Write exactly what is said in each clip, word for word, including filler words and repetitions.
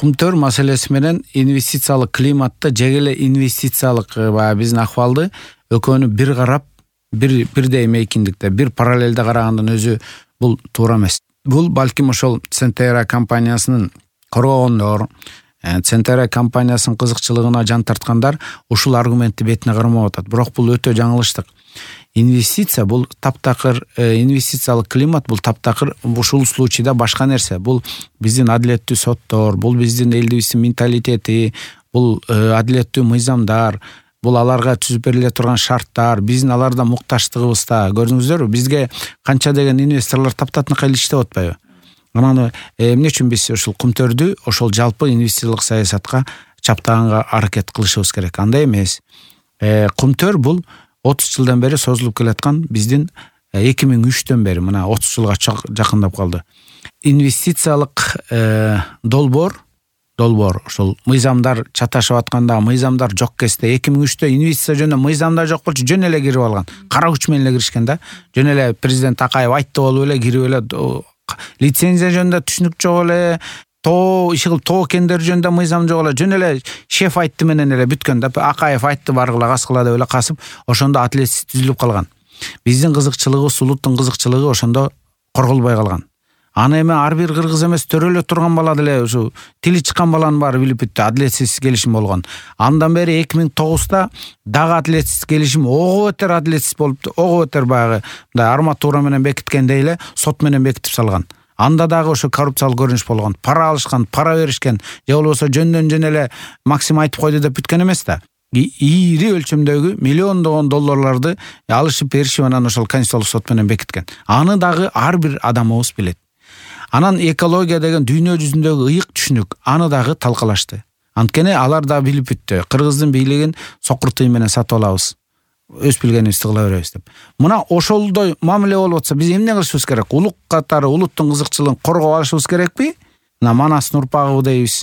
Кумтөр маселеси менен инвестициялык климатты же эле инвестициялык баягы биздин акыбалды экөөнү бир карап, бир бирдей мейкиндикте, бир параллелде карагандан өзү бул туура эмес. Бул балким ошол Centera компаниясынын коргогондор, Centera компаниясынын кызыкчылыгына жан тарткандар ушул аргументти бетине кармап атат. Бирок бул өтө жаңылыштык. Инвестиция бул таптакыр, инвестициялык климат бул таптакыр ушул случайда башка нерсе. Бул биздин адилеттүү соттор, бул биздин элдибиздин менталитети, бул адилеттүү мыйзамдар, бул аларга түзүп бериле турган шарттар, биздин аларда мукташтыгыбызда. Көрдүңүздөрбү, бизге канча деген инвесторлор таптатынакай эле иштеп атпайбы? Анан эмне үчүн биз ушул Кумтөрдү ошол жалпы инвестициялык саясатка чаптаганга аракет кылышыбыз керек? Андай эмес. Кумтөр бул отуз жылдан бери созулуп келаткан биздин эки миң үчтөн бери мына отуз жылга жакындап калды. Инвестициялык долбоор, долбоор ошол мыйзамдар чаташып атканда, мыйзамдар жок кезде эки миң үчтө инвестиция жөнүндө мыйзамдар жок болчу, жөн эле кирип алган. Кара күч менен эле киришкен да. Жөн эле президент Акаев айтты болуп эле кирип эле лицензия жөнүндө түшүнүк жок эле, тоо иши кылып тоо кендер жөнүндө мыйзам жок эле, жөн эле шеф айтты менен эле бүткөн да. Акаев айтты баргыла каскыла деп эле касып, ошондо атилетсиз түзүлүп калган. Биздин кызыкчылыгыбыз, улуттун кызыкчылыгы ошондо корголбой калган. Аны эми ар бир кыргыз эмес, төрөлө турган бала деле ушу тили чыккан баланын баары билип бүттү, адилетсиз келишим болгон. Андан бери эки миң тогузда дагы адилетсиз келишим, ого бетер адилетсиз болупту, ого бетер баягы мындай арматура менен бекиткендей эле сот менен бекитип салган. Анда дагы ошо коррупциялык көрүнүш болгон. Пара алышкан, пара беришкен, же болбосо жөндөн жөн эле Максим айтып койду деп бүткөн эмес да. Ири өлчөмдөгү миллиондогон долларларды алышып беришип анан ошол Конституциялык сот менен бекиткен. Аны дагы ар бир адамыбыз билет. Анан экология деген дүйнө жүзүндөгү ыйык түшүнүк, аны дагы талкалашты. Анткени алар да билип бүттү. Кыргыздын бийлигин сокур тыйын менен сатып алабыз. Өз билгенибизди кыла беребиз деп. Мына ошолдой мамиле болуп атса, биз эмне кылышыбыз керек? Улук катары улуттун кызыкчылыгын коргоп алышыбыз керекпи? Мына Манастын урпагы дейбиз.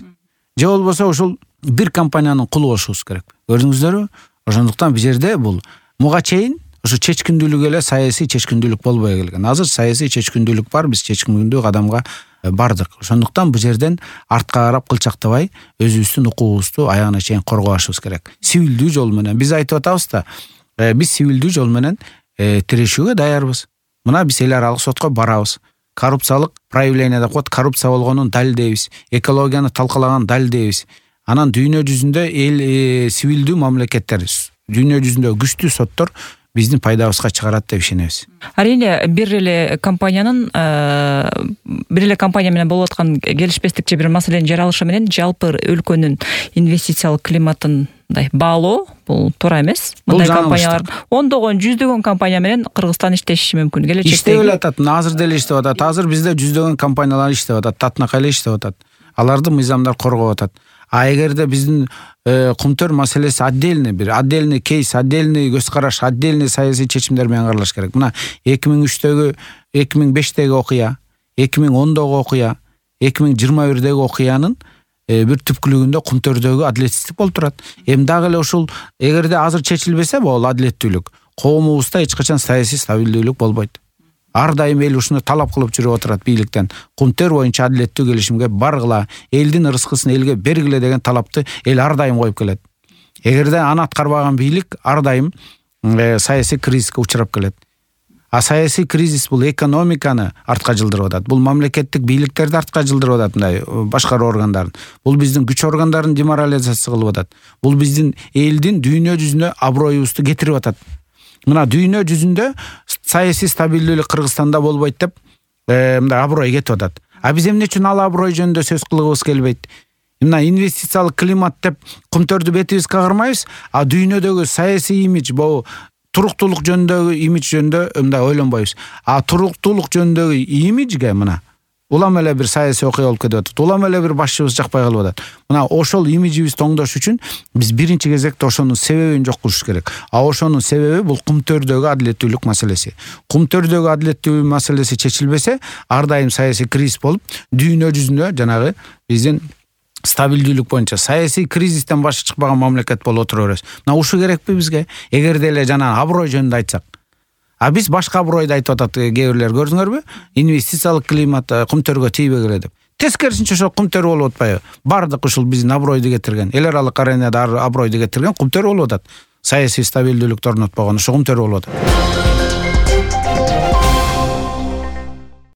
Же болбосо ошол бир компаниянын кулу болушубуз керекпи? Көрдүңүздөрбү? Ошондуктан бул жерде бул муга чейин ошо чечкиндүүлүк эле саясий чечкиндүүлүк болбой келген. Азыр саясий чечкиндүүлүк бар, биз чечкиндүү кадамга бардык. Ошондуктан бул жерден артка карап кылчактабай, өзүбүздүн укугубузду аягына чейин коргоп алышыбыз керек. Сивилдүү жол менен биз айтып атабыз да, биз сивилдүү жол менен тирешүүгө даярбыз. Мына биз эл аралык сотко барабыз. Коррупциялык проявление деп коет, коррупция болгонун далилдейбиз. Экологияны талкалаган далилдейбиз. Анан дүйнө жүзүндө эл сивилдүү мамлекеттер, дүйнө жүзүндө күчтүү соттор биздин пайдабызга чыгарат деп ишенебиз. Арине бир эле компаниянын бир эле компания менен болуп аткан келишпестик же бир маселенин жаралышы менен жалпы өлкөнүн инвестициялык климатындай баалоо бул туура эмес. Мындай компаниялар ондогон, жүздөгөн компания менен Кыргызстан иштеши мүмкүн. Келечекте иштеп эле атат, азыр деле иштеп атат. Азыр бизде жүздөгөн компаниялар иштеп атат, татынакай эле иштеп атат. Аларды мыйзамдар коргоп атат. А эгерде биздин Кумтөр маселеси отдельный бир, отдельный кейс, отдельный көз караш, отдельный саясий чечимдер менен каралыш керек. Мына эки миң үчтөгү, эки миң бештеги окуя, эки миң ондогу окуя, эки миң жыйырма бирдеги окуянын бир түпкүлүгүндө Кумтөрдөгү адилетсиздик болуп турат. Эми дагы эле ушул эгерде азыр чечилбесе бул адилеттүүлүк, коомубузда эч качан саясий стабилдүүлүк болбойт. Ар дайым эл ушуну талап кылып жүрүп отурат бийликтен. Кумтөр боюнча адилеттүү келишимге баргыла, элдин ырыскысын элге бергиле деген талапты эл ар дайым коюп келет. Эгерде аны аткарбаган бийлик ар дайым саясий кризиске учурап келет. А саясий кризис бул экономиканы артка жылдырып атат. Бул мамлекеттик бийликтерди артка жылдырып атат, мындай башкаруу органдарын. Бул биздин күч органдарын деморализация кылып атат. Бул биздин элдин дүйнө жүзүнө аброюбузду кетирип атат. Мына дүйнө жүзүндө саясий стабилдүүлүк Кыргызстанда болбойт деп мындай аброй кетип атат. А биз эмне үчүн ал аброй жөнүндө сөз кылгыбыз келбейт? Мына инвестициялык климат деп Кумтөрдү бетибизге кармайбыз, а дүйнөдөгү саясий имидж, бул туруктуулук жөнүндөгү имидж жөнүндө мындай ойлонбойбуз. А туруктуулук жөнүндөгү имиджге мына улам эле бир саясий окуя болуп кетип атат. Улам эле бир башчыбыз жакпай калып атат. Мына ошол имиджибизди оңдош үчүн биз биринчи кезекте ошонун себебин жок кылыш керек. А ошонун себеби бул Кумтөрдөгү адилеттүүлүк маселеси. Кумтөрдөгү адилеттүүлүк маселеси чечилбесе, ар дайым саясий кризис болуп, дүйнө жүзүндө жанагы биздин стабилдүүлүк боюнча саясий кризистен башы чыкпаган мамлекет болуп отура беребиз. Мына ушу керекпи бизге? Эгерде эле жана аброй жөнүндө айтсак. А биз башка абройду айтып атат кээ бирлер, көрдүңөрбү? Инвестициялык климат Кумтөргө тийбегиле деп. Тескерисинче ошо кумтөрүү болуп атпайбы? Бардык ушул биздин абройду кетирген, эл аралык аренада абройду кетирген кумтөрүү болуп атат. Саясий стабилдүүлүктү орнотпогон ошо кумтөрүү болуп атат.